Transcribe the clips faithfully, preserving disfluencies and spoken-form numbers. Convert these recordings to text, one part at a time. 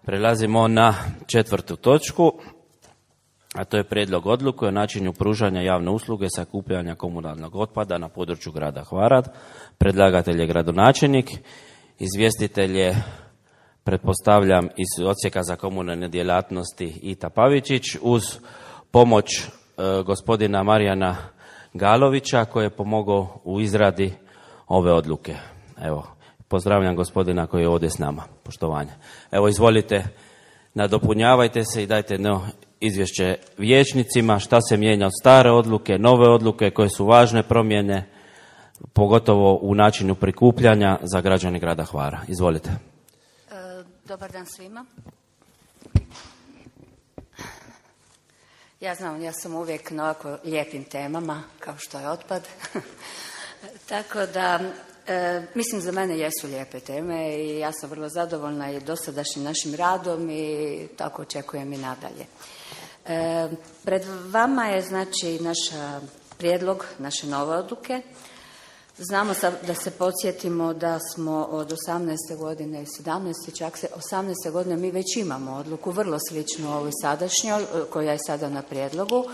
Prelazimo na četvrtu točku, a to je prijedlog odluke o načinu pružanja javne usluge sakupljanja komunalnog otpada na području grada Hvara. Predlagatelj je gradonačelnik, izvjestitelj je, pretpostavljam, iz Odsjeka za komunalne djelatnosti Ita Pavičić, uz pomoć e, gospodina Marijana Galovića koji je pomogao u izradi ove odluke. Evo, pozdravljam gospodina koji je ovdje s nama. Poštovanje. Evo, izvolite, nadopunjavajte se i dajte jedno izvješće vijećnicima šta se mijenja od stare odluke, nove odluke, koje su važne promjene, pogotovo u načinu prikupljanja za građane grada Hvara. Izvolite. E, dobar dan svima. Ja znam, ja sam uvijek na ovako lijepim temama, kao što je otpad. Tako da, e, mislim, za mene jesu lijepe teme i ja sam vrlo zadovoljna i dosadašnjim našim radom i tako očekujem i nadalje. E, pred vama je, znači, naš prijedlog, naše nove odluke. Znamo da se podsjetimo da smo od osamnaeste godine i sedamnaeste, čak se osamnaeste godine mi već imamo odluku vrlo sličnu ovoj sadašnjoj, koja je sada na prijedlogu.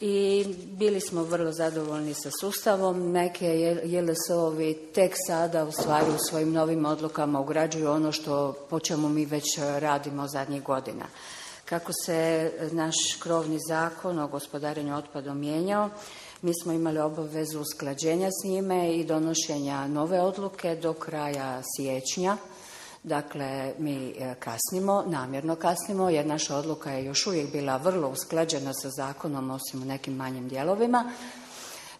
I bili smo vrlo zadovoljni sa sustavom. Neke J L S O-ovi tek sada u stvari u svojim novim odlukama ugrađuju ono što po čemu mi već radimo zadnjih godina. Kako se naš krovni zakon o gospodarenju otpadom mijenjao, mi smo imali obavezu usklađenja s njime i donošenja nove odluke do kraja siječnja. Dakle, mi kasnimo, namjerno kasnimo, jer naša odluka je još uvijek bila vrlo usklađena sa zakonom, osim u nekim manjim dijelovima.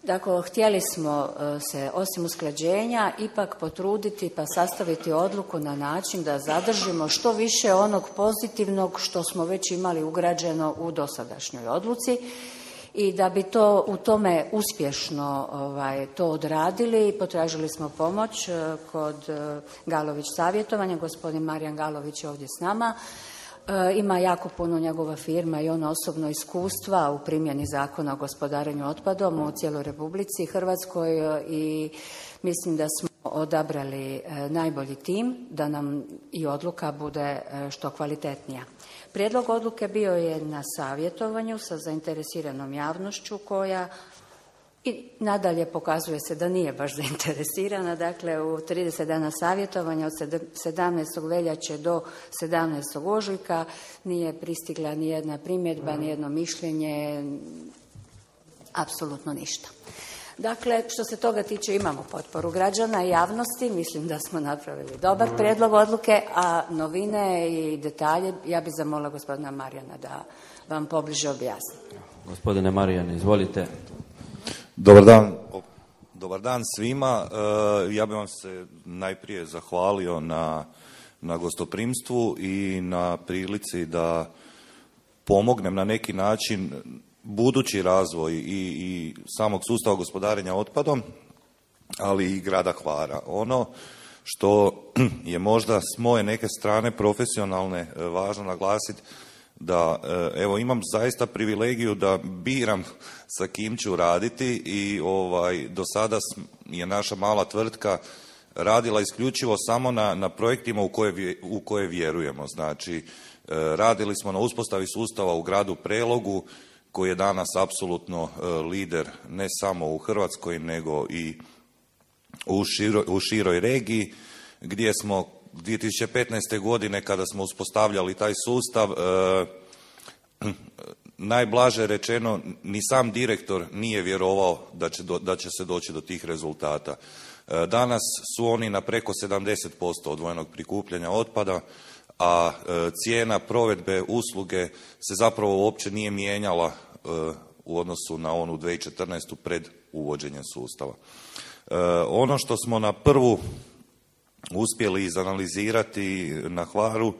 Dakle, htjeli smo se, osim usklađenja, ipak potruditi pa sastaviti odluku na način da zadržimo što više onog pozitivnog što smo već imali ugrađeno u dosadašnjoj odluci. I da bi to u tome uspješno ovaj, to odradili, potražili smo pomoć kod Galović savjetovanja. Gospodin Marijan Galović je ovdje s nama. E, ima jako puno njegova firma i ono osobno iskustva u primjeni zakona o gospodarenju otpadom u cijeloj Republici Hrvatskoj i mislim da smo odabrali najbolji tim da nam i odluka bude što kvalitetnija. Prijedlog odluke bio je na savjetovanju sa zainteresiranom javnošću koja i nadalje pokazuje se da nije baš zainteresirana. Dakle, u trideset dana savjetovanja od sedamnaestog veljače do sedamnaestog ožujka nije pristigla ni jedna primjedba, ni jedno mišljenje, apsolutno ništa. Dakle, što se toga tiče, imamo potporu građana i javnosti, mislim da smo napravili dobar prijedlog odluke, a novine i detalje ja bih zamolila gospodina Marijana da vam pobliže objasni. Gospodine Marijane, izvolite. Dobar dan, dobar dan svima. Ja bih vam se najprije zahvalio na, na gostoprimstvu i na prilici da pomognem na neki način budući razvoj i, i samog sustava gospodarenja otpadom, ali i grada Hvara. Ono što je možda s moje neke strane profesionalne važno naglasiti, da evo imam zaista privilegiju da biram sa kim ću raditi i ovaj, do sada je naša mala tvrtka radila isključivo samo na, na projektima u koje, u koje vjerujemo. Znači, radili smo na uspostavi sustava u gradu Prelogu, koji je danas apsolutno lider ne samo u Hrvatskoj, nego i u široj, u široj regiji, gdje smo dvije tisuće petnaeste. godine, kada smo uspostavljali taj sustav, eh, najblaže rečeno, ni sam direktor nije vjerovao da će, do, da će se doći do tih rezultata. Eh, danas su oni na preko sedamdeset posto odvojenog prikupljanja otpada, a e, cijena provedbe usluge se zapravo uopće nije mijenjala e, u odnosu na onu dvije tisuće četrnaeste. pred uvođenjem sustava. E, ono što smo na prvu uspjeli izanalizirati na Hvaru,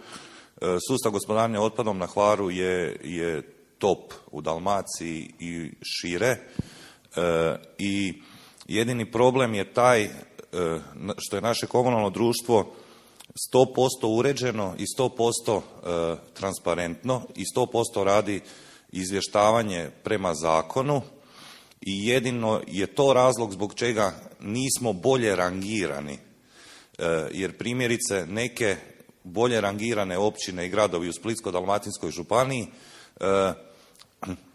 e, sustav gospodarenja otpadom na Hvaru je, je top u Dalmaciji i šire e, i jedini problem je taj e, što je naše komunalno društvo sto posto uređeno i sto posto e, transparentno i sto posto radi izvještavanje prema zakonu i jedino je to razlog zbog čega nismo bolje rangirani. E, jer primjerice neke bolje rangirane općine i gradovi u Splitsko-dalmatinskoj županiji e,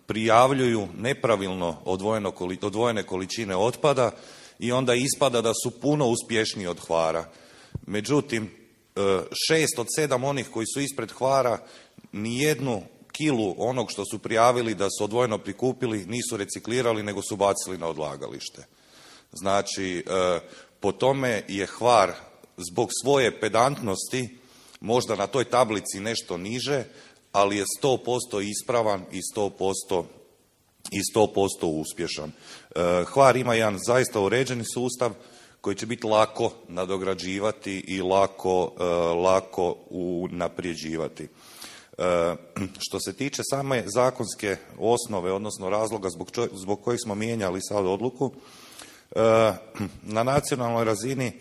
prijavljuju nepravilno odvojeno, odvojene količine otpada i onda ispada da su puno uspješniji od Hvara. Međutim, šest od sedam onih koji su ispred Hvara nijednu kilu onog što su prijavili da su odvojeno prikupili nisu reciklirali, nego su bacili na odlagalište. Znači, po tome je Hvar zbog svoje pedantnosti možda na toj tablici nešto niže, ali je sto posto ispravan i sto posto i sto posto uspješan. Hvar ima jedan zaista uređeni sustav koji će biti lako nadograđivati i lako, lako unapređivati. Što se tiče same zakonske osnove, odnosno razloga zbog, čo, zbog kojih smo mijenjali sad odluku, na nacionalnoj razini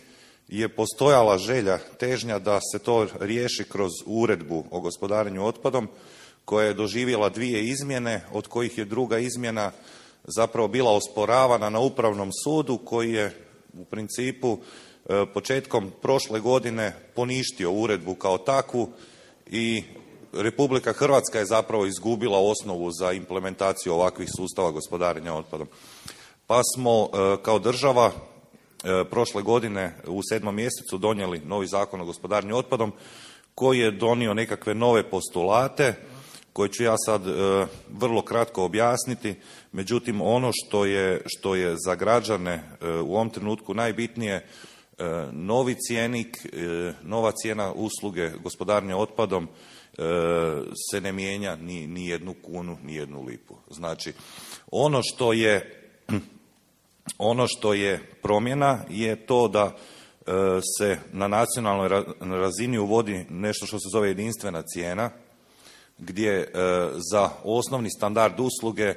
je postojala želja, težnja da se to riješi kroz uredbu o gospodarenju otpadom koja je doživjela dvije izmjene, od kojih je druga izmjena zapravo bila osporavana na Upravnom sudu koji je u principu početkom prošle godine poništio uredbu kao takvu i Republika Hrvatska je zapravo izgubila osnovu za implementaciju ovakvih sustava gospodarenja otpadom. Pa smo kao država prošle godine u sedmom mjesecu donijeli novi Zakon o gospodarenju otpadom koji je donio nekakve nove postulate koje ću ja sad vrlo kratko objasniti. Međutim, ono što je, što je za građane u ovom trenutku najbitnije, novi cjenik, nova cijena usluge gospodarenja otpadom se ne mijenja ni, ni jednu kunu, ni jednu lipu. Znači, ono što je ono što je promjena je to da se na nacionalnoj razini uvodi nešto što se zove jedinstvena cijena, gdje za osnovni standard usluge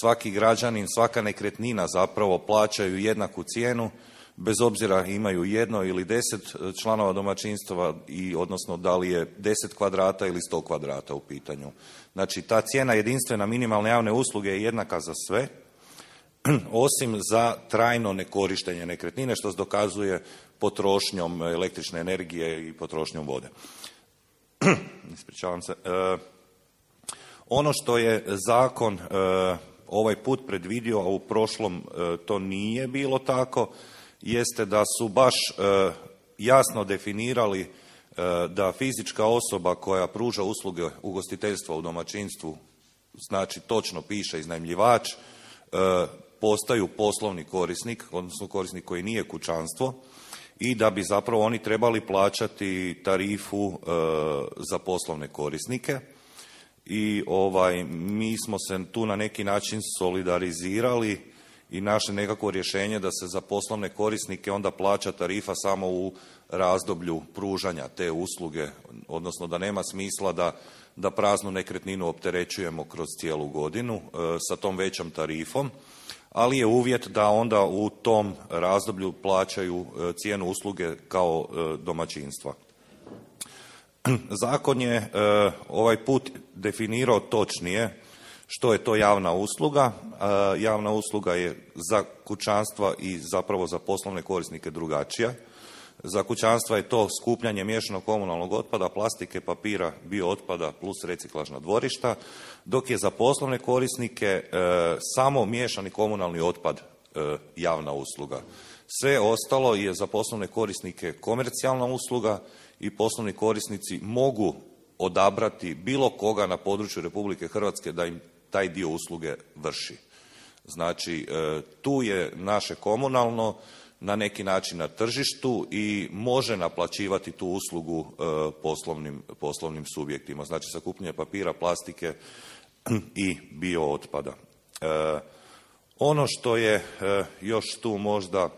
svaki građanin, svaka nekretnina zapravo plaćaju jednaku cijenu, bez obzira imaju jedno ili deset članova domaćinstva, i odnosno da li je deset kvadrata ili sto kvadrata u pitanju. Znači, ta cijena jedinstvena minimalne javne usluge je jednaka za sve, osim za trajno nekorištenje nekretnine, što se dokazuje potrošnjom električne energije i potrošnjom vode. Ispričavam se. E, ono što je zakon e, ovaj put predvidio, a u prošlom e, to nije bilo tako, jeste da su baš e, jasno definirali e, da fizička osoba koja pruža usluge ugostiteljstva u domaćinstvu, znači točno piše iznajmljivač, e, postaju poslovni korisnik, odnosno korisnik koji nije kućanstvo, i da bi zapravo oni trebali plaćati tarifu e, za poslovne korisnike. I ovaj, mi smo se tu na neki način solidarizirali i našli nekakvo rješenje da se za poslovne korisnike onda plaća tarifa samo u razdoblju pružanja te usluge, odnosno da nema smisla da, da praznu nekretninu opterećujemo kroz cijelu godinu e, sa tom većom tarifom, ali je uvjet da onda u tom razdoblju plaćaju e, cijenu usluge kao e, domaćinstva. Zakon je e, ovaj put definirao točnije što je to javna usluga. E, javna usluga je za kućanstva i zapravo za poslovne korisnike drugačija. Za kućanstva je to skupljanje miješanog komunalnog otpada, plastike, papira, biootpada plus reciklažna dvorišta, dok je za poslovne korisnike e, samo miješani komunalni otpad e, javna usluga. Sve ostalo je za poslovne korisnike komercijalna usluga i poslovni korisnici mogu odabrati bilo koga na području Republike Hrvatske da im taj dio usluge vrši. Znači, e, tu je naše komunalno na neki način na tržištu i može naplaćivati tu uslugu e, poslovnim, poslovnim subjektima. Znači, sakupljanje papira, plastike i biootpada. E, ono što je e, još tu možda,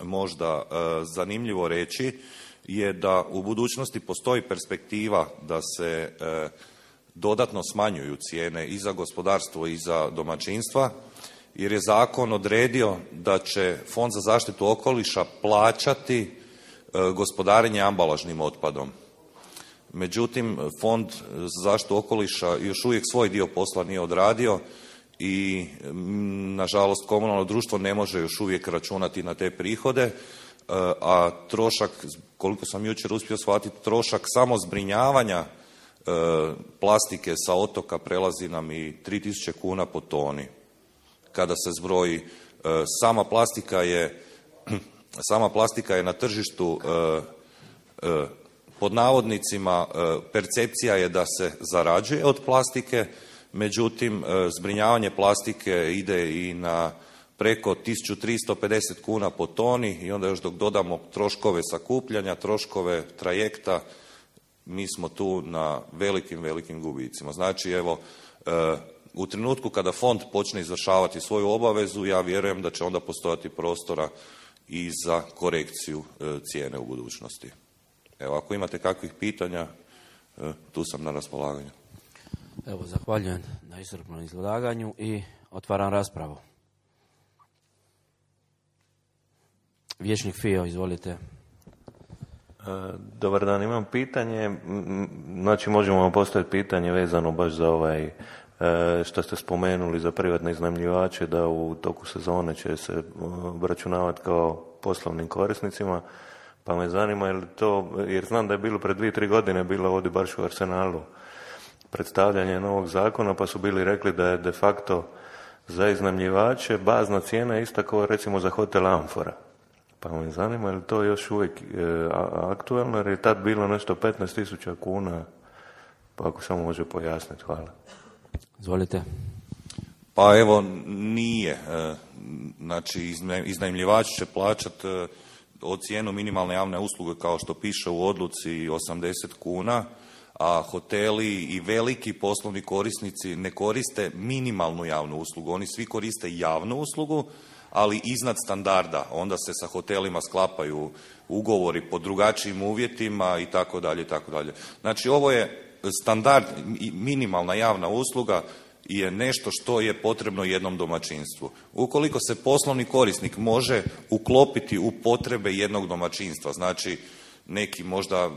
možda e, zanimljivo reći je da u budućnosti postoji perspektiva da se e, dodatno smanjuju cijene i za gospodarstvo i za domaćinstva, jer je zakon odredio da će Fond za zaštitu okoliša plaćati e, gospodarenje ambalažnim otpadom. Međutim, Fond za zaštitu okoliša još uvijek svoj dio posla nije odradio i, nažalost, komunalno društvo ne može još uvijek računati na te prihode, a trošak, koliko sam jučer uspio shvatiti, trošak samo zbrinjavanja plastike sa otoka prelazi nam i tri tisuće kuna po toni. Kada se zbroji, sama plastika je, sama plastika je na tržištu, pod navodnicima, percepcija je da se zarađuje od plastike, međutim, zbrinjavanje plastike ide i na preko tisuću tristo pedeset kuna po toni i onda još dok dodamo troškove sakupljanja, troškove trajekta, mi smo tu na velikim, velikim gubicima. Znači, evo, u trenutku kada fond počne izvršavati svoju obavezu, ja vjerujem da će onda postojati prostora i za korekciju cijene u budućnosti. Evo, ako imate kakvih pitanja, tu sam na raspolaganju. Evo, zahvaljujem na iscrpnom izlaganju i otvaram raspravu. Vijećnik Fio, izvolite. Dobar dan, imam pitanje, znači možemo vam postaviti pitanje vezano baš za ovaj, što ste spomenuli za privatne iznajmljivače, da u toku sezone će se obračunavati kao poslovnim korisnicima, pa me zanima je li to, jer znam da je bilo pred dvije, tri godine bilo ovdje baš u Arsenalu predstavljanje novog zakona, pa su bili rekli da je de facto za iznajmljivače bazna cijena ista kao recimo za hotel Amfora. Pa me zanima je li to još uvijek e, aktualno, jer je tad bilo nešto petnaest tisuća kuna, pa ako samo može pojasniti, hvala. Izvolite. Pa evo, nije. Znači, iznajmljivač će plaćati od cijenu minimalne javne usluge, kao što piše u odluci, osamdeset kuna, a hoteli i veliki poslovni korisnici ne koriste minimalnu javnu uslugu. Oni svi koriste javnu uslugu, ali iznad standarda. Onda se sa hotelima sklapaju ugovori po drugačijim uvjetima i tako dalje i tako dalje. Znači, ovo je standard, minimalna javna usluga je nešto što je potrebno jednom domaćinstvu. Ukoliko se poslovni korisnik može uklopiti u potrebe jednog domaćinstva, znači neki možda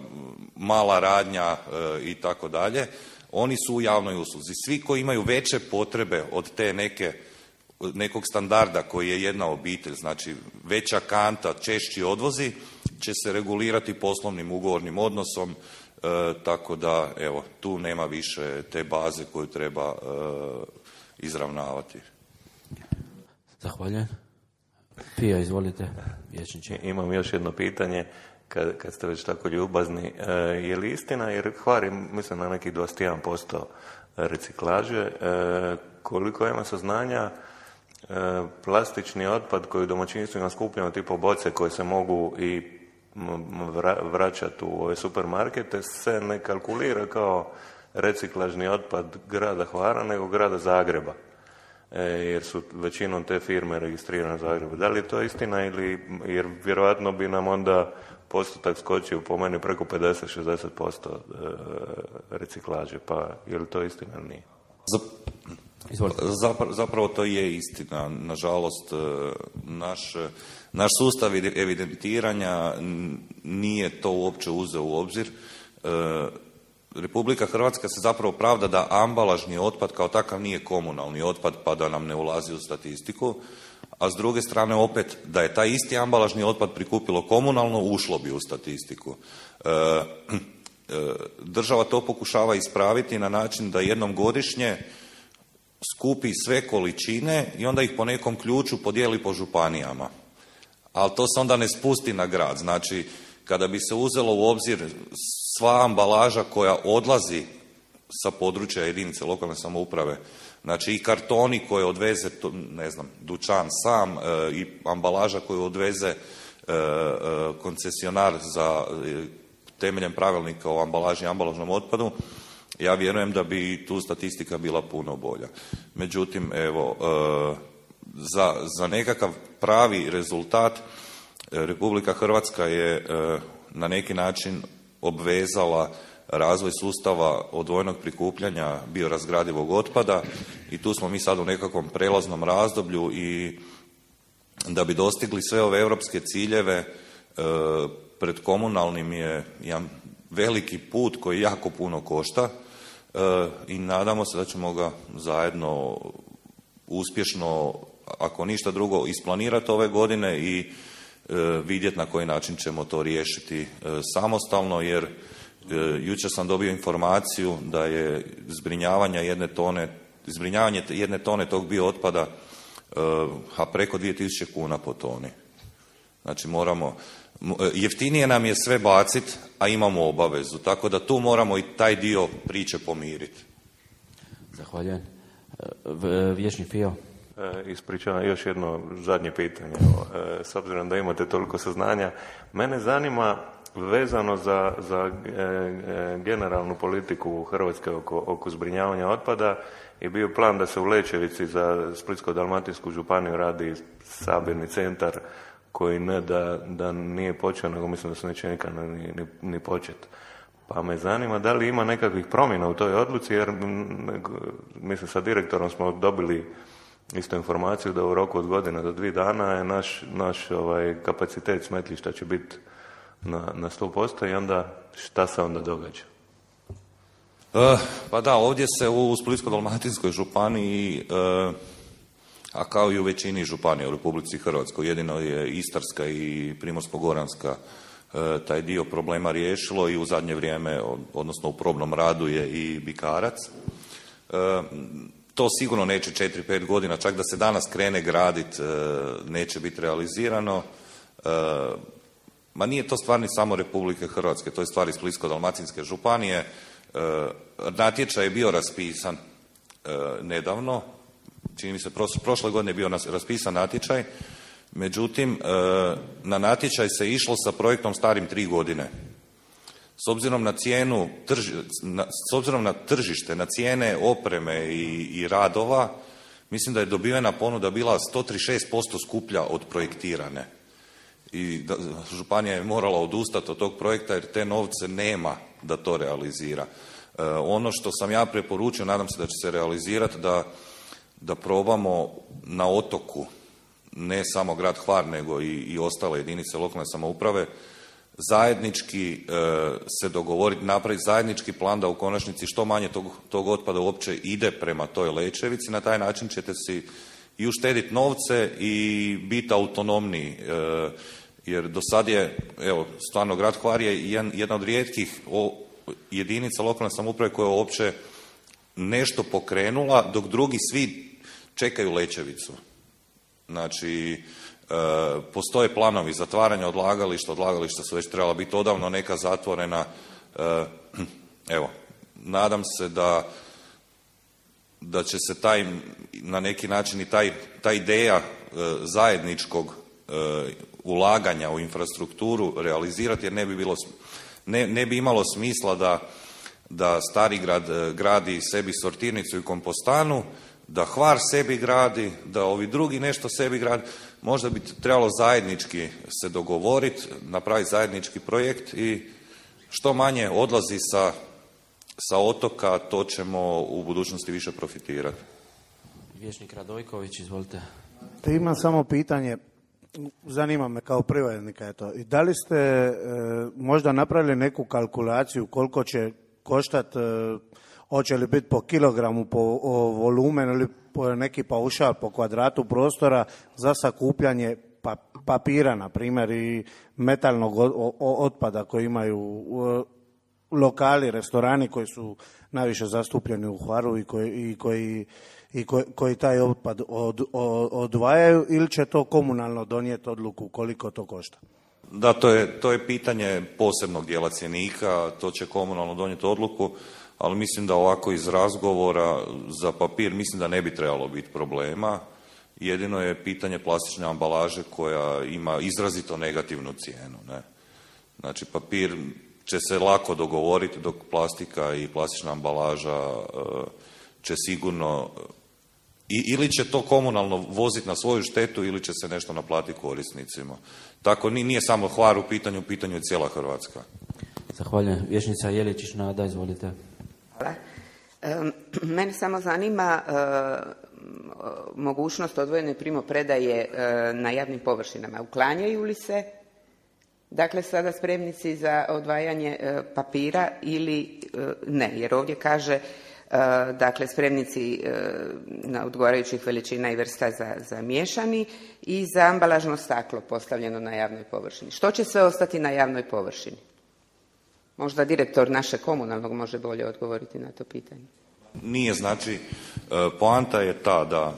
mala radnja e, i tako dalje, oni su u javnoj usluzi. Svi koji imaju veće potrebe od te neke nekog standarda koji je jedna obitelj, znači veća kanta, češći odvozi, će se regulirati poslovnim ugovornim odnosom, e, tako da evo, tu nema više te baze koju treba e, izravnavati. Zahvaljujem. Pija, izvolite. Vječniče. Imam još jedno pitanje, kad, kad ste već tako ljubazni. E, je li istina, jer Hvar mislim na nekih dvadeset jedan posto reciklaže, e, koliko ima saznanja, plastični otpad koji u domaćinstvima skupljamo, tipo boce koje se mogu i vraćati u ove supermarkete, se ne kalkulira kao reciklažni otpad grada Hvara, nego grada Zagreba, e, jer su većinom te firme registrirane u Zagrebu. Da li je to istina, ili, jer vjerojatno bi nam onda postotak skočio po meni preko pedeset do šezdeset posto reciklaže, pa je li to istina ili nije? Zapravo, zapravo to je istina. Nažalost, naš, naš sustav evidentiranja nije to uopće uzeo u obzir. Republika Hrvatska se zapravo pravda da ambalažni otpad kao takav nije komunalni otpad, pa da nam ne ulazi u statistiku, a s druge strane opet da je taj isti ambalažni otpad prikupilo komunalno, ušlo bi u statistiku. Država to pokušava ispraviti na način da jednom godišnje skupi sve količine i onda ih po nekom ključu podijeli po županijama. Ali to se onda ne spusti na grad. Znači, kada bi se uzelo u obzir sva ambalaža koja odlazi sa područja jedinice lokalne samouprave, znači i kartoni koje odveze, ne znam, dućan sam, e, i ambalaža koju odveze e, e, koncesionar za e, temeljem pravilnika o ambalaži i ambalažnom otpadu, ja vjerujem da bi tu statistika bila puno bolja. Međutim, evo, e, za, za nekakav pravi rezultat Republika Hrvatska je e, na neki način obvezala razvoj sustava odvojenog prikupljanja biorazgradivog otpada i tu smo mi sad u nekakvom prelaznom razdoblju i da bi dostigli sve ove europske ciljeve e, pred komunalnim je jedan veliki put koji jako puno košta e, i nadamo se da ćemo ga zajedno uspješno, ako ništa drugo, isplanirati ove godine i vidjeti na koji način ćemo to riješiti samostalno, jer jučer sam dobio informaciju da je zbrinjavanje jedne tone, zbrinjavanje jedne tone tog biootpada a preko dvije tisuće kuna po toni. Znači moramo, jeftinije nam je sve baciti, a imamo obavezu, tako da tu moramo i taj dio priče pomiriti. Zahvaljujem. Vječni Fio. E, ispričavam još jedno zadnje pitanje. E, s obzirom da imate toliko saznanja, mene zanima vezano za, za e, e, generalnu politiku Hrvatske oko, oko zbrinjavanja otpada je bio plan da se u Lećevici za Splitsko-dalmatinsku županiju radi sabirni centar koji ne da, da nije počeo, nego mislim da se neće nikad ni, ni, ni početi. Pa me zanima da li ima nekakvih promjena u toj odluci, jer mislim sa direktorom smo dobili isto informaciju da u roku od godine do dvije dana je naš, naš ovaj, kapacitet smetlišta će biti na, na sto posto i onda šta se onda događa? Uh, pa da, ovdje se u Splitsko-dalmatinskoj županiji, uh, a kao i u većini županija u Republici Hrvatskoj, jedino je Istarska i Primorsko-goranska uh, taj dio problema riješilo i u zadnje vrijeme, odnosno u probnom radu je i Bikarac. Uh, to sigurno neće četiri pet godina, čak da se danas krene gradit, uh, neće biti realizirano. Uh, ma nije to stvar ni samo Republike Hrvatske, to je stvar i Splitsko-dalmatinske županije. E, natječaj je bio raspisan e, nedavno, čini mi se prošle godine je bio raspisan natječaj, međutim e, na natječaj se išlo sa projektom starim tri godine. S obzirom na cijenu, trži, na, s obzirom na tržište, na cijene opreme i, i radova, mislim da je dobivena ponuda bila sto trideset šest posto skuplja od projektirane. I da, županija je morala odustati od tog projekta jer te novce nema da to realizira. E, ono što sam ja preporučio, nadam se da će se realizirati, da, da probamo na otoku, ne samo grad Hvar, nego i, i ostale jedinice lokalne samouprave, zajednički e, se dogovoriti, napraviti zajednički plan da u konačnici što manje tog, tog otpada uopće ide prema toj Lećevici. Na taj način ćete si i uštediti novce i biti autonomniji. E, jer do sad je, evo, stvarno grad Hvar je jedna od rijetkih jedinica lokalne samouprave koja je uopće nešto pokrenula, dok drugi svi čekaju Lećevicu. Znači, e, postoje planovi zatvaranja odlagališta, odlagališta su već trebala biti odavno neka zatvorena. E, evo, nadam se da da će se taj, na neki način i taj, ta ideja e, zajedničkog e, ulaganja u infrastrukturu realizirati, jer ne bi bilo, ne, ne bi imalo smisla da, da Starigrad e, gradi sebi sortirnicu i kompostanu, da Hvar sebi gradi, da ovi drugi nešto sebi gradi. Možda bi trebalo zajednički se dogovoriti, napraviti zajednički projekt i što manje odlazi sa sa otoka, to ćemo u budućnosti više profitirati. Vječnik Radojković, izvolite. Te imam samo pitanje, zanima me kao privrednika, eto, i da li ste e, možda napravili neku kalkulaciju koliko će koštati, e, hoće li biti po kilogramu, po o, volumenu ili po neki paušal po kvadratu prostora za sakupljanje pa, papira, na primjer, i metalnog o, o, otpada koji imaju o, lokali, restorani koji su najviše zastupljeni u Hvaru i koji, i koji, i koji, koji taj otpad od, od, odvajaju, ili će to komunalno donijeti odluku koliko to košta? Da, to je, to je pitanje posebnog dijela cjenika, to će komunalno donijeti odluku, ali mislim da ovako iz razgovora za papir mislim da ne bi trebalo biti problema. Jedino je pitanje plastične ambalaže koja ima izrazito negativnu cijenu. Ne? Znači, papir će se lako dogovoriti, dok plastika i plastična ambalaža će sigurno, ili će to komunalno voziti na svoju štetu, ili će se nešto naplatiti korisnicima. Tako nije samo Hvar u pitanju, u pitanju je cijela Hrvatska. Zahvaljujem. Vječnica Jeličić, Nada, izvolite. Hvala. E, mene samo zanima e, mogućnost odvojene primopredaje e, na javnim površinama. Uklanjaju li se dakle sada spremnici za odvajanje e, papira ili e, ne? Jer ovdje kaže dakle spremnici na odgovarajućih veličina i vrsta za, za miješani i za ambalažno staklo postavljeno na javnoj površini. Što će sve ostati na javnoj površini? Možda direktor našeg komunalnog može bolje odgovoriti na to pitanje. Nije, znači, poanta je ta da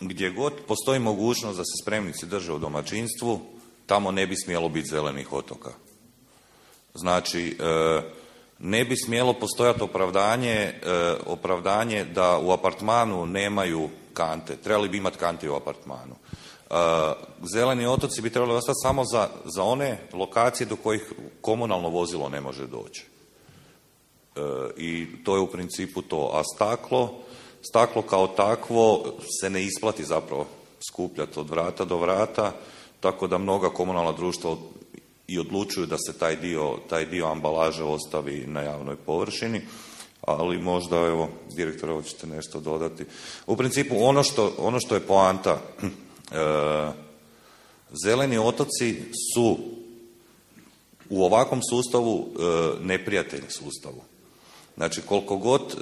gdje god postoji mogućnost da se spremnici drže u domaćinstvu, tamo ne bi smjelo biti zelenih otoka. Znači, ne bi smjelo postojati opravdanje, opravdanje da u apartmanu nemaju kante. Trebali bi imati kante u apartmanu. Zeleni otoci bi trebali ostati samo za, za one lokacije do kojih komunalno vozilo ne može doći. I to je u principu to. A staklo, staklo kao takvo se ne isplati zapravo skupljati od vrata do vrata, tako da mnoga komunalna društva i odlučuju da se taj dio, taj dio ambalaže ostavi na javnoj površini, ali možda, evo, direktor, ovo ćete nešto dodati. U principu, ono što, ono što je poanta, e, zeleni otoci su u ovakvom sustavu e, neprijatelj sustavu. Znači, koliko god e,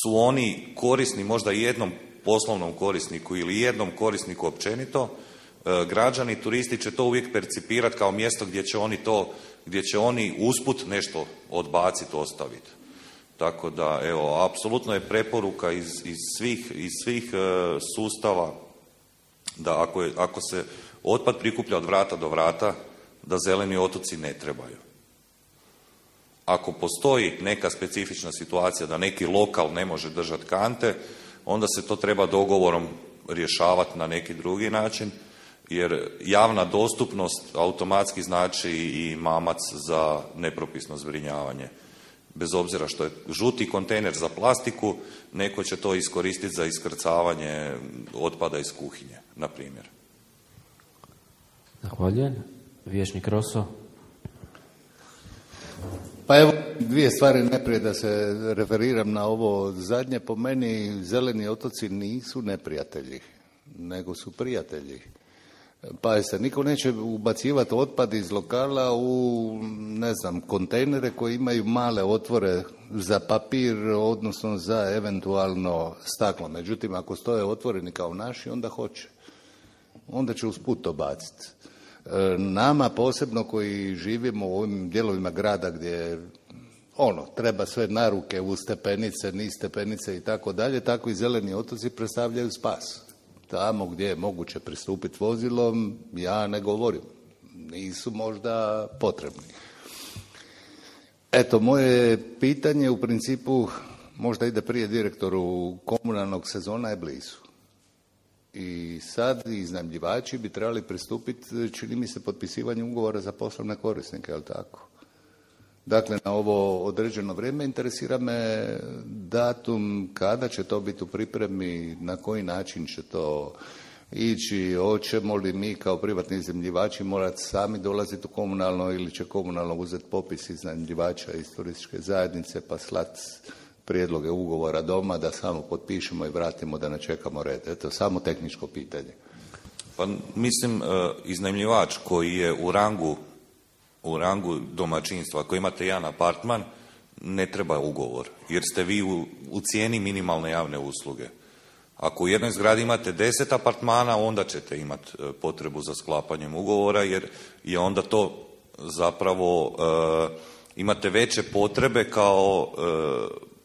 su oni korisni možda jednom poslovnom korisniku ili jednom korisniku općenito, e, građani, turisti će to uvijek percipirati kao mjesto gdje će oni to, gdje će oni usput nešto odbaciti, ostaviti. Tako da, evo, apsolutno je preporuka iz, iz svih, iz svih e, sustava da ako, je, ako se otpad prikuplja od vrata do vrata, da zeleni otoci ne trebaju. Ako postoji neka specifična situacija da neki lokal ne može držati kante, onda se to treba dogovorom rješavati na neki drugi način, jer javna dostupnost automatski znači i mamac za nepropisno zbrinjavanje. Bez obzira što je žuti kontejner za plastiku, neko će to iskoristiti za iskrcavanje otpada iz kuhinje, na primjer. Zahvaljujem. Vijećnik Roso. Pa evo, dvije stvari. Najprije da se referiram na ovo zadnje. Po meni zeleni otoci nisu neprijatelji, nego su prijatelji. Pa se niko neće ubacivati otpad iz lokala u, ne znam, kontejnere koji imaju male otvore za papir, odnosno za eventualno staklo. Međutim, ako stoje otvoreni kao naši, onda hoće. Onda će usput to baciti. Nama posebno koji živimo u ovim dijelovima grada gdje ono, treba sve naruke uz stepenice, niz stepenice i tako dalje, tako i zeleni otoci predstavljaju spas. Tamo gdje je moguće pristupiti vozilom, ja ne govorim. Nisu možda potrebni. Eto, moje pitanje u principu možda ide prije direktoru komunalnog, sezona je blizu. I sad iznajmljivači bi trebali pristupiti, čini mi se, potpisivanju ugovora za poslovne korisnike, je li tako? Dakle, na ovo određeno vrijeme interesira me datum, kada će to biti u pripremi, na koji način će to ići, hoćemo li mi kao privatni iznajmljivači morati sami dolaziti u komunalno ili će komunalno uzeti popis iznajmljivača iz turističke zajednice pa slati prijedloge ugovora doma da samo potpišemo i vratimo da ne čekamo red. Eto, samo tehničko pitanje. Pa mislim, iznajmljivač koji je u rangu u rangu domaćinstva, ako imate jedan apartman, ne treba ugovor, jer ste vi u, u cijeni minimalne javne usluge. Ako u jednoj zgradi imate deset apartmana, onda ćete imati potrebu za sklapanjem ugovora, jer je onda to zapravo, e, imate veće potrebe kao e,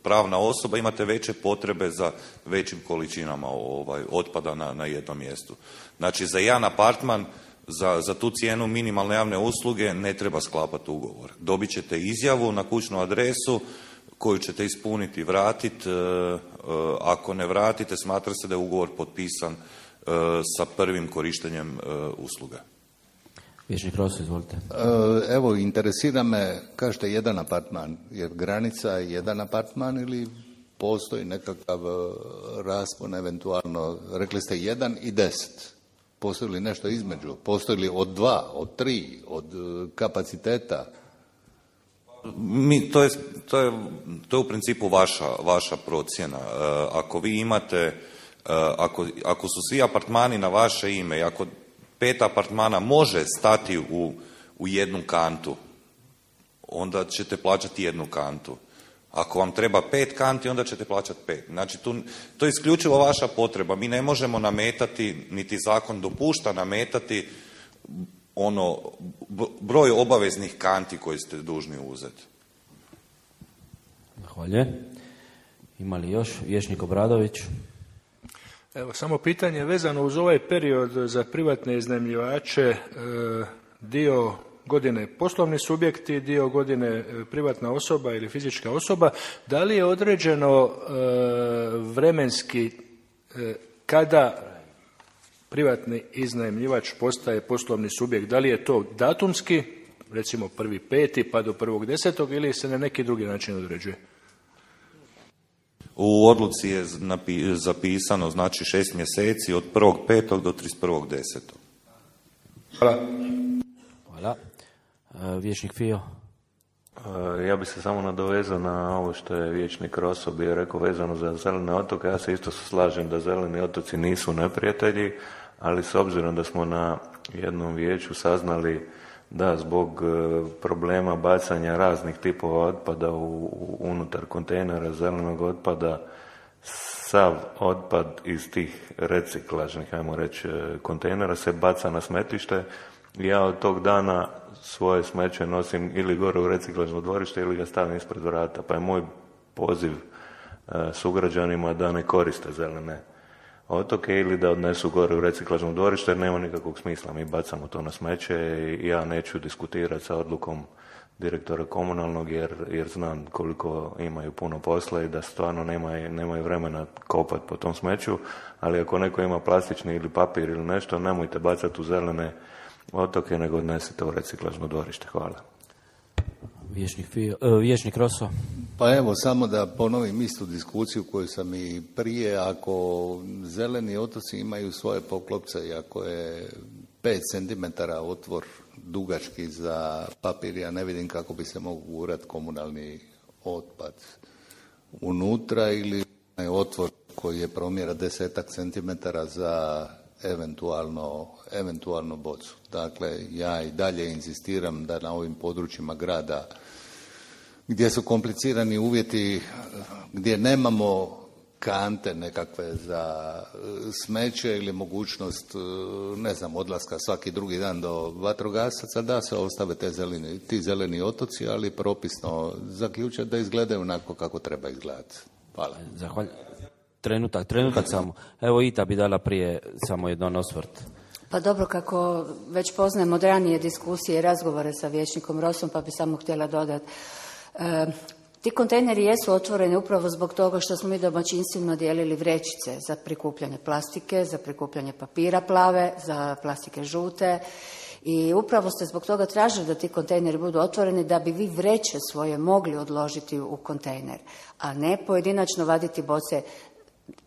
pravna osoba, imate veće potrebe za većim količinama ovaj, otpada na, na jednom mjestu. Znači, za jedan apartman, Za, za tu cijenu minimalne javne usluge ne treba sklapati ugovor. Dobit ćete izjavu na kućnu adresu koju ćete ispuniti i vratiti. E, e, ako ne vratite, smatra se da je ugovor potpisan e, sa prvim korištenjem e, usluga. Vijećnik Roso, izvolite. Evo, interesira me, kažete jedan apartman, jer granica je jedan apartman ili postoji nekakav raspon eventualno, rekli ste jedan i deset. Postoji li nešto između? Postoji li od dva, od tri, od kapaciteta? Mi, to, je, to, je, to je u principu vaša, vaša procjena. E, ako vi imate, e, ako, ako su svi apartmani na vaše ime i ako pet apartmana može stati u, u jednu kantu, onda ćete plaćati jednu kantu. Ako vam treba pet kanti, onda ćete plaćati pet. Znači, tu, to je isključivo vaša potreba. Mi ne možemo nametati, niti zakon dopušta nametati ono broj obaveznih kanti koji ste dužni uzeti. Zahvaljujem. Ima li još? Vijećnik Obradović. Evo, samo pitanje vezano uz ovaj period za privatne iznajmljivače, e, dio godine poslovni subjekti, dio godine privatna osoba ili fizička osoba. Da li je određeno e, vremenski e, kada privatni iznajmljivač postaje poslovni subjekt? Da li je to datumski, recimo prvi peti pa do prvog desetog, ili se na neki drugi način određuje? U odluci je zapisano, znači šest mjeseci od prvog petog do trideset prvog desetog. Hvala. Hvala. Vijećnik Fio. Ja bih se samo nadovezao na ovo što je vijećnik Roso bio rekao vezano za zelene otoke. Ja se isto slažem da zeleni otoci nisu neprijatelji, ali s obzirom da smo na jednom vijeću saznali da zbog problema bacanja raznih tipova otpada u, unutar kontejnera zelenog otpada, sav otpad iz tih reciklažnih, ajmo reći, kontejnera se baca na smetlište. Ja od tog dana svoje smeće nosim ili gore u reciklažno dvorište ili ga stavim ispred vrata. Pa je moj poziv e, sugrađanima da ne koriste zelene otoke ili da odnesu gore u reciklažno dvorište, jer nema nikakvog smisla. Mi bacamo to na smeće i ja neću diskutirati sa odlukom direktora komunalnog jer, jer znam koliko imaju puno posla i da stvarno nemaju, nemaju vremena kopati po tom smeću, ali ako neko ima plastični ili papir ili nešto, nemojte bacati u zelene otoke, nego odnesite u reciklažno dvorište. Hvala. Vijećnik, Fio, uh, vijećnik Roso. Pa evo, samo da ponovim istu diskusiju koju sam i prije. Ako zeleni otoci imaju svoje poklopce i ako je pet centimetara otvor dugački za papir, ja ne vidim kako bi se mogu gurati komunalni otpad unutra, ili otvor koji je promjera desetak centimetara za eventualno, eventualno bocu. Dakle, ja i dalje inzistiram da na ovim područjima grada gdje su komplicirani uvjeti, gdje nemamo kante nekakve za smeće ili mogućnost, ne znam, odlaska svaki drugi dan do vatrogasaca, da se ostave te zeleni, ti zeleni otoci, ali propisno zaključati da izgledaju onako kako treba izgledati. Hvala. Zahvaljujem. Trenutak, trenutak samo. Evo Ita bi dala prije samo jedan osvrt. Pa dobro, kako već poznajem od ranije diskusije i razgovore sa vijećnikom Rosom, pa bi samo htjela dodati. E, ti kontejneri jesu otvoreni upravo zbog toga što smo mi domaćinstveno dijelili vrećice za prikupljanje plastike, za prikupljanje papira plave, za plastike žute. I upravo ste zbog toga tražili da ti kontejneri budu otvoreni da bi vi vreće svoje mogli odložiti u kontejner, a ne pojedinačno vaditi boce.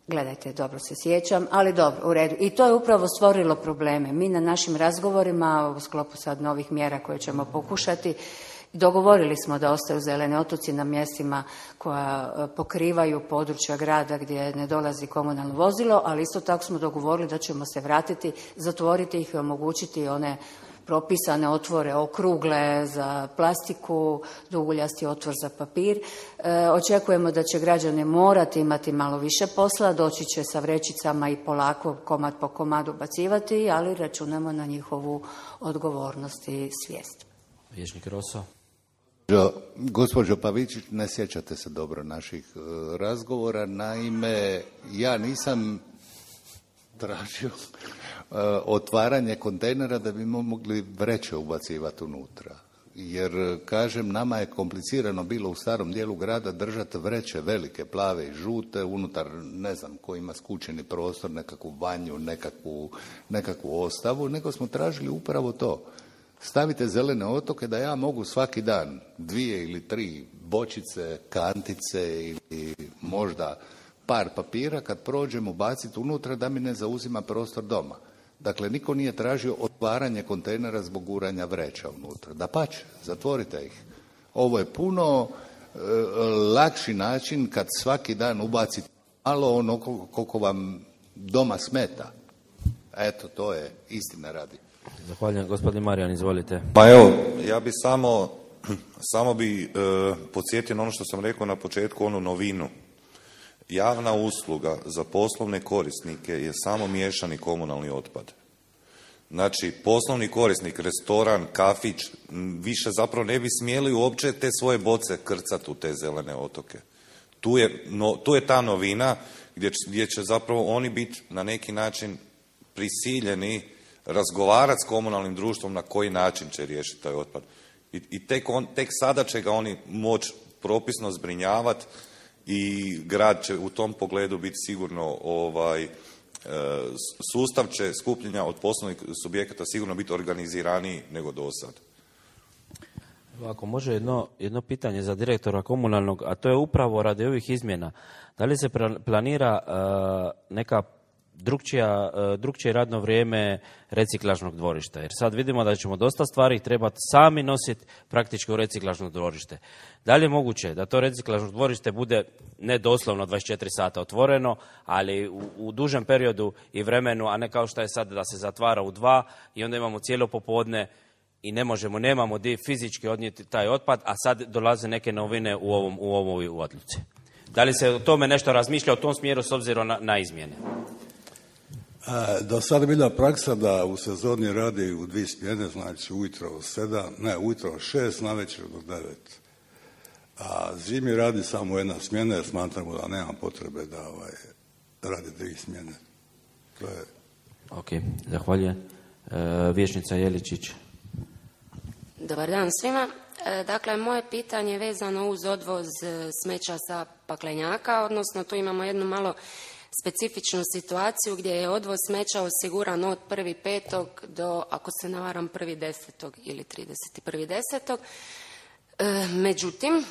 Gledajte, dobro se sjećam, ali dobro, u redu. I to je upravo stvorilo probleme. Mi na našim razgovorima u sklopu sad novih mjera koje ćemo pokušati, dogovorili smo da ostaju zeleni otoci na mjestima koja pokrivaju područja grada gdje ne dolazi komunalno vozilo, ali isto tako smo dogovorili da ćemo se vratiti, zatvoriti ih i omogućiti one propisane otvore okrugle za plastiku, duguljasti otvor za papir. E, očekujemo da će građani morati imati malo više posla, doći će sa vrećicama i polako komad po komadu bacivati, ali računamo na njihovu odgovornost i svijest. Vijećnik Roso. Gospođo Pavičić, ne sjećate se dobro naših uh, razgovora. Naime, ja nisam tražio uh, otvaranje kontejnera da bi mogli vreće ubacivati unutra. Jer, kažem, nama je komplicirano bilo u starom dijelu grada držati vreće velike, plave i žute, unutar, ne znam, ko ima skučeni prostor, nekakvu vanju, nekakvu, nekakvu ostavu, nego smo tražili upravo to. Stavite zelene otoke da ja mogu svaki dan dvije ili tri bočice, kantice ili možda par papira kad prođem ubaciti unutra da mi ne zauzima prostor doma. Dakle, niko nije tražio otvaranje kontejnera zbog guranja vreća unutra. Dapače, zatvorite ih. Ovo je puno e, lakši način kad svaki dan ubacite malo ono koliko vam doma smeta. Eto, to je istina radi. Zahvaljujem. Gospodin Marijan, izvolite. Pa evo, ja bi samo Samo bi e, podsjetio na ono što sam rekao na početku, onu novinu. Javna usluga za poslovne korisnike je samo miješani komunalni otpad. Znači, poslovni korisnik, restoran, kafić, više zapravo ne bi smjeli uopće te svoje boce krcati u te zelene otoke. Tu je, no, tu je ta novina gdje, gdje će zapravo oni biti na neki način prisiljeni razgovarati s komunalnim društvom na koji način će riješiti taj otpad. I, i tek, on, tek sada će ga oni moći propisno zbrinjavati i grad će u tom pogledu biti sigurno, ovaj, sustav će skupljenja od poslovnih subjekata sigurno biti organiziraniji nego do sad. Ako može jedno, jedno pitanje za direktora komunalnog, a to je upravo radi ovih izmjena. Da li se planira uh, neka drugčija, uh, drugčije radno vrijeme reciklažnog dvorišta? Jer sad vidimo da ćemo dosta stvari trebati sami nositi praktički u reciklažno dvorište. Da li je moguće da to reciklažno dvorište bude ne doslovno dvadeset četiri sata otvoreno, ali u, u dužem periodu i vremenu, a ne kao što je sad da se zatvara u dva i onda imamo cijelo popodne i ne možemo, nemamo di fizički odnijeti taj otpad, a sad dolaze neke novine u ovom u ovoj odluci. Da li se o tome nešto razmišlja u tom smjeru s obzirom na, na izmjene? E, do sada je bila praksa da u sezoni radi u dvije smjene, znači ujutro od sedam, ne, ujutro od šest, navečer do devet. A zimi radi samo jedna smjena jer smatramo da nema potrebe da ovaj, radi dvije smjene. To je... Ok, zahvaljujem. E, Vijećnica Jeličić. Dobar dan svima. E, dakle, moje pitanje je vezano uz odvoz smeća sa paklenjaka, odnosno tu imamo jednu malo specifičnu situaciju gdje je odvoz smeća osiguran od prvi petog do, ako se ne varam, prvi desetog ili trideset prvi desetog. E, međutim,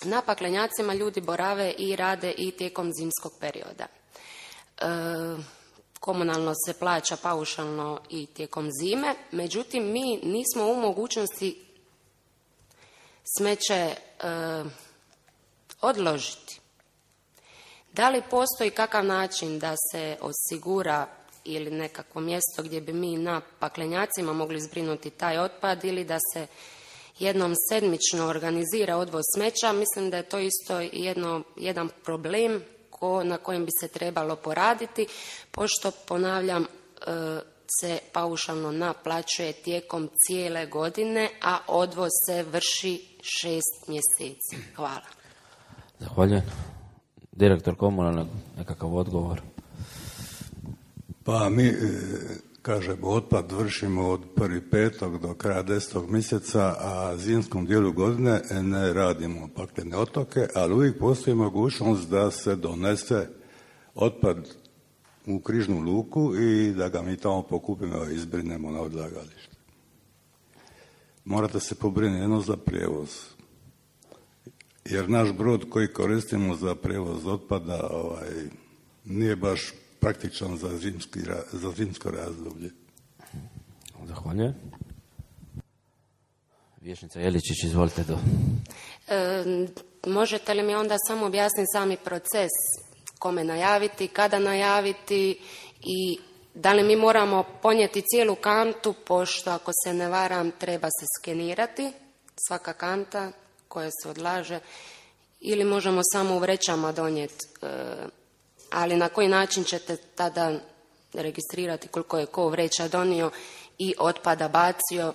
na paklenjacima ljudi borave i rade i tijekom zimskog perioda. E, komunalno se plaća paušalno i tijekom zime, međutim mi nismo u mogućnosti smeće e, odložiti. Da li postoji kakav način da se osigura ili nekakvo mjesto gdje bi mi na paklenjacima mogli zbrinuti taj otpad ili da se jednom sedmično organizira odvoz smeća? Mislim da je to isto jedno, jedan problem ko, na kojem bi se trebalo poraditi, pošto, ponavljam, se paušalno naplaćuje tijekom cijele godine, a odvoz se vrši šest mjeseci. Hvala. Zahvaljujem. Direktor komunalnog, nekakav odgovor? Pa mi, kažemo, otpad vršimo od prvi petog do kraja desetog mjeseca, a zimskom dijelu godine ne radimo paklene otoke, ali uvijek postoji mogućnost da se donese otpad u križnu luku i da ga mi tamo pokupimo i izbrinemo na odlagalište. Morate se pobrinuti jedno za prijevoz. Jer naš brod koji koristimo za prijevoz otpada ovaj, nije baš praktičan za, zimski, za zimsko razdoblje. Zahvaljujem. Vijećnica Jeličić, izvolite do. E, možete li mi onda samo objasniti sami proces? Kome najaviti, kada najaviti i da li mi moramo ponijeti cijelu kantu, pošto ako se ne varam treba se skenirati svaka kanta koja se odlaže, ili možemo samo u vrećama donijeti, e, ali na koji način ćete tada registrirati koliko je ko vreća donio i otpada bacio?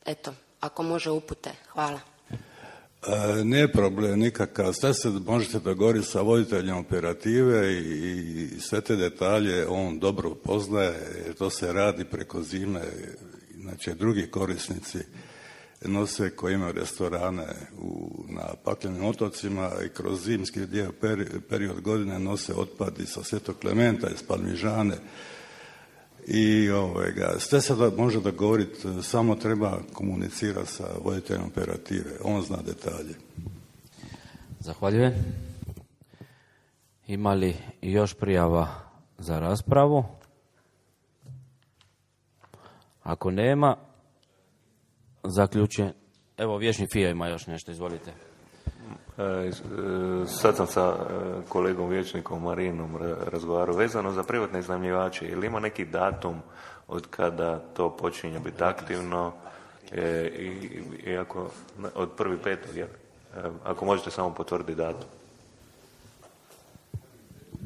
Eto, ako može upute. Hvala. E, nije problem nikakav. Sve se možete dogovoriti sa voditeljem operative i, i sve te detalje on dobro poznaje, jer to se radi preko zime. Znači, drugi korisnici nose koji imaju restorane u, na paklenim otocima i kroz zimski dio peri, period godine nose otpad i sa Svetog Klementa, iz Palmižane. I ovoga, sve se da, može dogovoriti, samo treba komunicirati sa voditeljem operative. On zna detalje. Zahvaljujem. Ima li još prijava za raspravu? Ako nema, zaključujem. Evo, Vječni Fija ima još nešto, izvolite. Sad sam sa kolegom Vječnikom Marinom razgovarao vezano za privatne iznajmljivače. Ili ima neki datum od kada to počinje biti aktivno E, i, i ako od prvi petog, jel? E, ako možete samo potvrditi datum.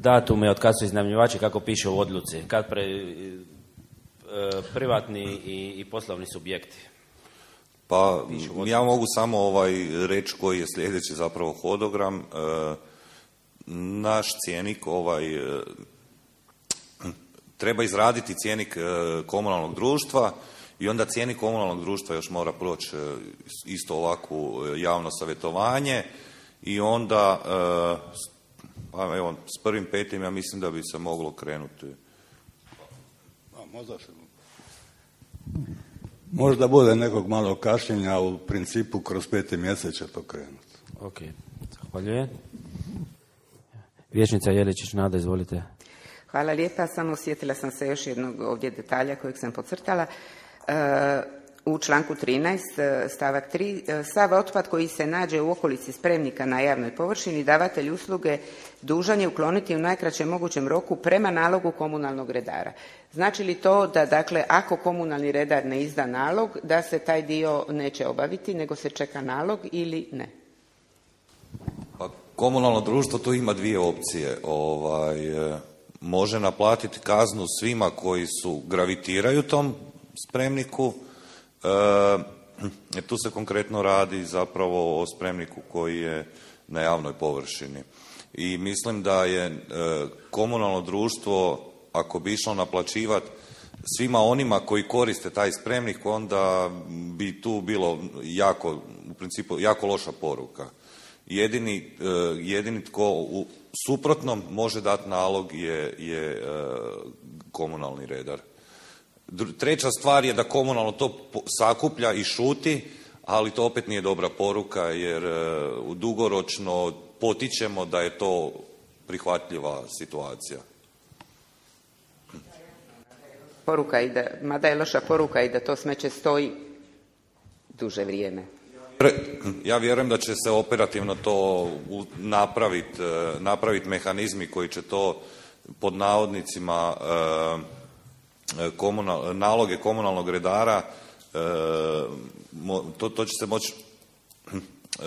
Datum je od kad su iznajmljivači, kako piše u odluci, kad pre, e, privatni i, i poslovni subjekti. Pa ja mogu samo ovaj reći koji je sljedeći zapravo hodogram. E, naš cjenik ovaj e, treba izraditi cjenik e, komunalnog društva i onda cjenik komunalnog društva još mora proći e, isto ovakvu javno savjetovanje i onda e, pa evo s prvim petim ja mislim da bi se moglo krenuti. A, možda se... Možda bude nekog malo kašnjenja, u principu kroz peti mjesec će to krenuti. Ok, zahvaljujem. Vijećnica Jeličić Nada, izvolite. Hvala lijepa, samo sjetila sam se još jednog ovdje detalja kojeg sam podcrtala. E, u članku trinaest stavak tri, sav otpad koji se nađe u okolici spremnika na javnoj površini, davatelj usluge dužan je ukloniti u najkraćem mogućem roku prema nalogu komunalnog redara. Znači li to da, dakle, ako komunalni redar ne izda nalog, da se taj dio neće obaviti, nego se čeka nalog ili ne? Pa komunalno društvo tu ima dvije opcije. Ovaj, može naplatiti kaznu svima koji su gravitiraju tom spremniku. E, tu se konkretno radi zapravo o spremniku koji je na javnoj površini. I mislim da je e, komunalno društvo, ako bi išlo naplaćivati svima onima koji koriste taj spremnik, onda bi tu bilo jako, u principu, jako loša poruka. Jedini, e, jedini tko u suprotnom može dati nalog je, je e, komunalni redar. Treća stvar je da komunalno to sakuplja i šuti, ali to opet nije dobra poruka jer uh, dugoročno potičemo da je to prihvatljiva situacija. Poruka i da, mada je loša poruka i da to smeće stoji duže vrijeme. Ja vjerujem da će se operativno to napraviti, napraviti mehanizmi koji će to pod navodnicima uh, Komunal, naloge komunalnog redara, e, to, to će se moći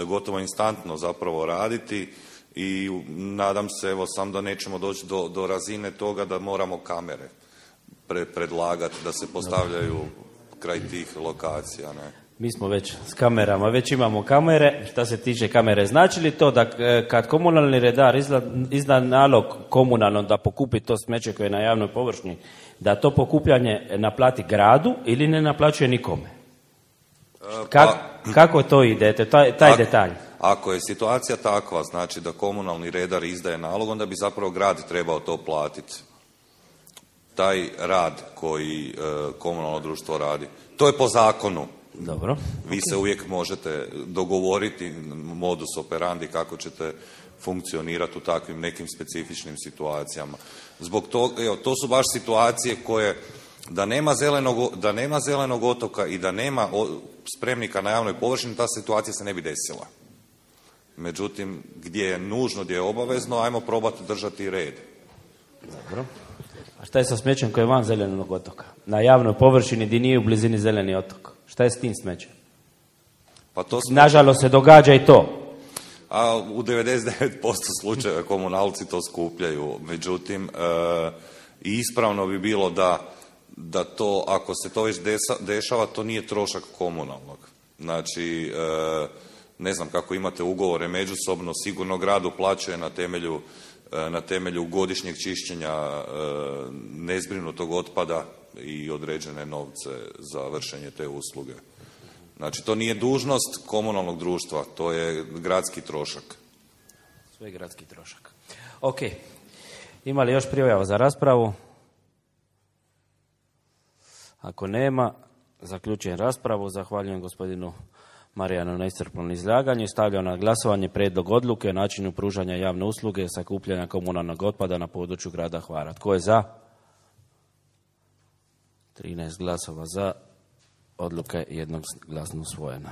gotovo instantno zapravo raditi i nadam se evo sam da nećemo doći do, do razine toga da moramo kamere pre, predlagati da se postavljaju kraj tih lokacija. Ne? Mi smo već s kamerama, već imamo kamere. Šta se tiče kamere, znači li to da kad komunalni redar izda, izda nalog komunalnom da pokupi to smeće koje je na javnoj površini, da to pokupljanje naplati gradu ili ne naplaćuje nikome? Kak, pa, kako to ide, taj, taj ak, detalj? Ako je situacija takva, znači da komunalni redar izdaje nalog, onda bi zapravo grad trebao to platiti. Taj rad koji e, komunalno društvo radi. To je po zakonu. Dobro. Vi okay. se uvijek možete dogovoriti modus operandi kako ćete funkcionirati u takvim nekim specifičnim situacijama. Zbog toga, evo, to su baš situacije koje, da nema zelenog, da nema zelenog otoka i da nema spremnika na javnoj površini, ta situacija se ne bi desila. Međutim, gdje je nužno, gdje je obavezno, ajmo probati držati red. Dobro. A šta je sa smećem koje je van zelenog otoka? Na javnoj površini gdje nije u blizini zeleni otok. Šta je s tim smećem? Pa to smeće... Nažalost se događa i to. A u devedeset devet posto slučajeva komunalci to skupljaju. Međutim, e, ispravno bi bilo da, da to, ako se to već desa, dešava, to nije trošak komunalnog. Znači, e, ne znam kako imate ugovore međusobno, sigurno grad uplaćuje na temelju, e, na temelju godišnjeg čišćenja e, nezbrinutog otpada i određene novce za vršenje te usluge. Znači, to nije dužnost komunalnog društva, to je gradski trošak. Sve gradski trošak. Ok. Ima li još prijava za raspravu? Ako nema, zaključujem raspravu. Zahvaljujem gospodinu Marijanu na iscrpnom izlaganju i stavljam na glasovanje prijedlog odluke o načinu pružanja javne usluge sakupljanja komunalnog otpada na području grada Hvara. Tko je za? trinaest glasova za, odluka je jednoglasno usvojena.